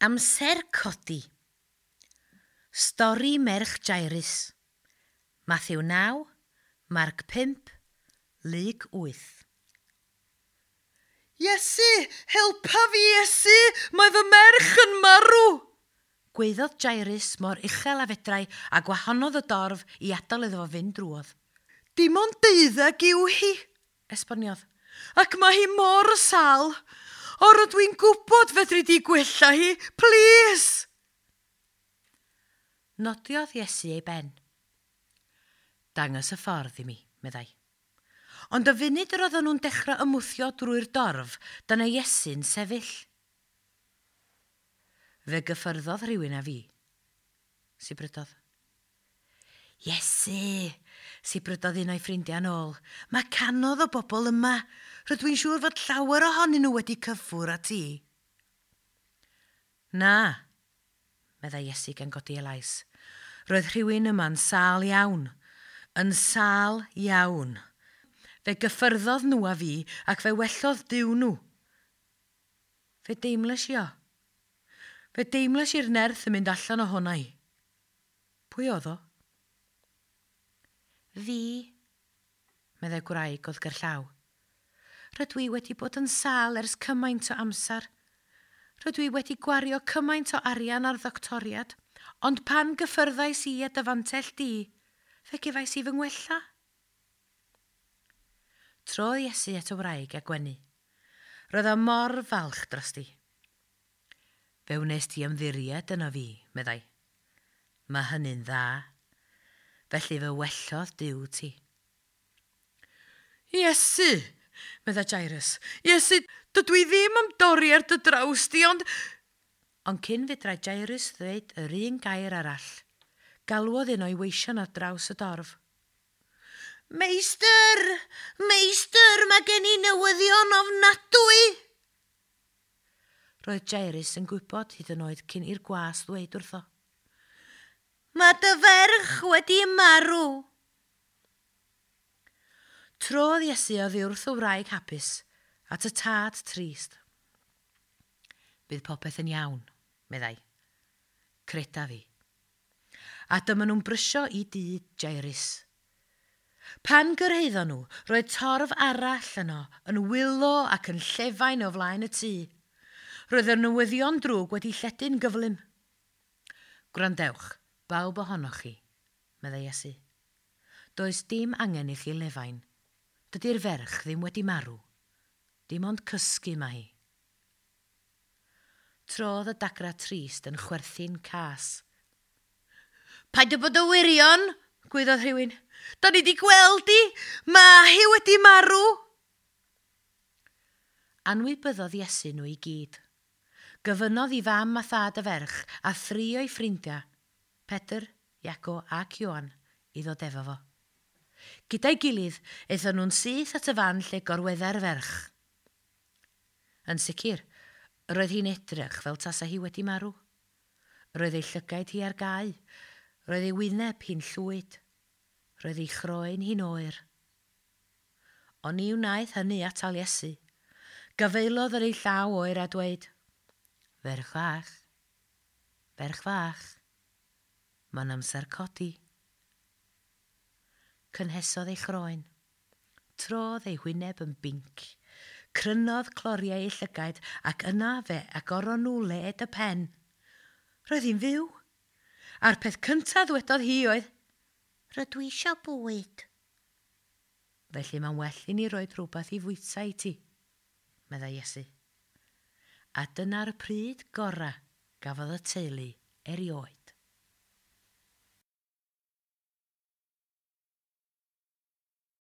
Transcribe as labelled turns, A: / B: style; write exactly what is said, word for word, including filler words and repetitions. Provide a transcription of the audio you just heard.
A: Amser codi. Stori merch Jairus. Mathew naw, Marc pump, Luc wyth.
B: Iesu, helpa fi Iesu, mae fy merch yn marw!
A: Gweiddodd Jairus mor uchel a fedrai a gwahanodd y dorf i adael iddo fo fynd drwodd.
B: Dim ond deuddeg yw hi,
A: esboniodd.
B: Ac mae hi mor sâl. O, rydw i'n gwybod fedri di gwella hi, plis!
A: Nodiodd Iesu ei ben. Dangos y ffordd i mi, meddai. Ond y funud yr oedden nhw'n dechrau ymwthio drwy'r dorf, dyna Iesu'n sefyll. Fe gyffyrddodd rhywun â fi, sibrydodd. Iesu, sibrydodd un o'i ffrindiau nôl. Mae cannoedd o bobl yma. Rydw i'n siŵr fod llawer ohonyn nhw wedi cyffwrdd â ti. Na, meddai Iesu gan godi ei lais. Roedd rhywun yma'n sâl iawn. Yn sâl iawn. Fe gyffyrddodd nhw â fi ac fe wellodd Duw nhw. Fe deimlais i o. Fe deimlais i'r nerth yn mynd allan ohona i. Pwy oedd o? Fi, meddai gwraig oedd gerllaw. Rydw i wedi bod yn sâl ers cymaint o amser. Rydw i wedi gwario cymaint o arian ar ddoctoriad, ond pan gyffyrddais i â dy fantell di, fe gefais i fy ngwella. Trodd Iesu at y wraig a gwenu. Roedd o mor falch drosti. Fe wnes ti ymddiried yno fi, meddai. Mae hynny'n dda. Felly fe wellodd Duw ti.
B: Iesu, meddai Jairus. Iesu, dydw i ddim am dorri ar dy draws di, ond...
A: Ond cyn fedrai Jairus ddweud yr un gair arall, galwodd un o'i weision ar draws y dorf.
B: Meistr! Meistr, mae gen i newyddion ofnadwy!
A: Roedd Jairus yn gwybod hyd yn oed cyn i'r gwas ddweud wrtho.
B: Mae dy ferch wedi marw.
A: Trodd Iesu oddi wrth y wraig hapus at y tad trist. Bydd popeth yn iawn, meddai. Creda fi. A dyma nhw'n brysio i dŷ Jairus. Pan gyrhaeddon nhw, roedd torf arall yno, yn wylo ac yn llefain o flaen y tŷ. Roedd y newyddion drwg wedi lledu'n gyflym. Gwrandewch, bawb ohonoch chi, meddai Iesu. Does dim angen i chi lefain. Dydy'r ferch ddim wedi marw. Dim ond cysgu mae hi. Trodd y dagra trist yn chwerthin cas.
B: Paid â bod yn wirion, gwaeddodd rhywun. Da ni di gweld hi, mae hi wedi marw.
A: Anwybyddodd Iesu nhw i gyd. Gofynnodd i fam a thad y ferch a thri o'i ffrindiau, Pedr, Iago ac Ioan, i ddod efo fo. Gyda'i gilydd, aethon nhw'n syth at y fan lle gorweddai'r ferch. Yn sicr, roedd hi'n edrych fel tasa hi wedi marw. Roedd ei llygaid hi ar gau, roedd ei wyneb hi'n llwyd, roedd ei chroen hi'n oer. Ond ni wnaeth hynny atal Iesu. Gafaelodd ar ei llaw oer a dweud, Ferch fach, ferch fach, mae'n amser codi. Cynhesodd ei chroen. Trodd ei hwyneb yn binc. Crynodd cloriau ei llygaid ac yna fe agoron nhw led y pen. Roedd hi'n fyw. A'r peth cyntaf ddwedodd hi oedd, Rydw i eisiau bwyd. Felly mae'n well i ni roi rhywbeth i fwyta i ti, meddai Iesu. A dyna'r pryd gorau gafodd y teulu erioed.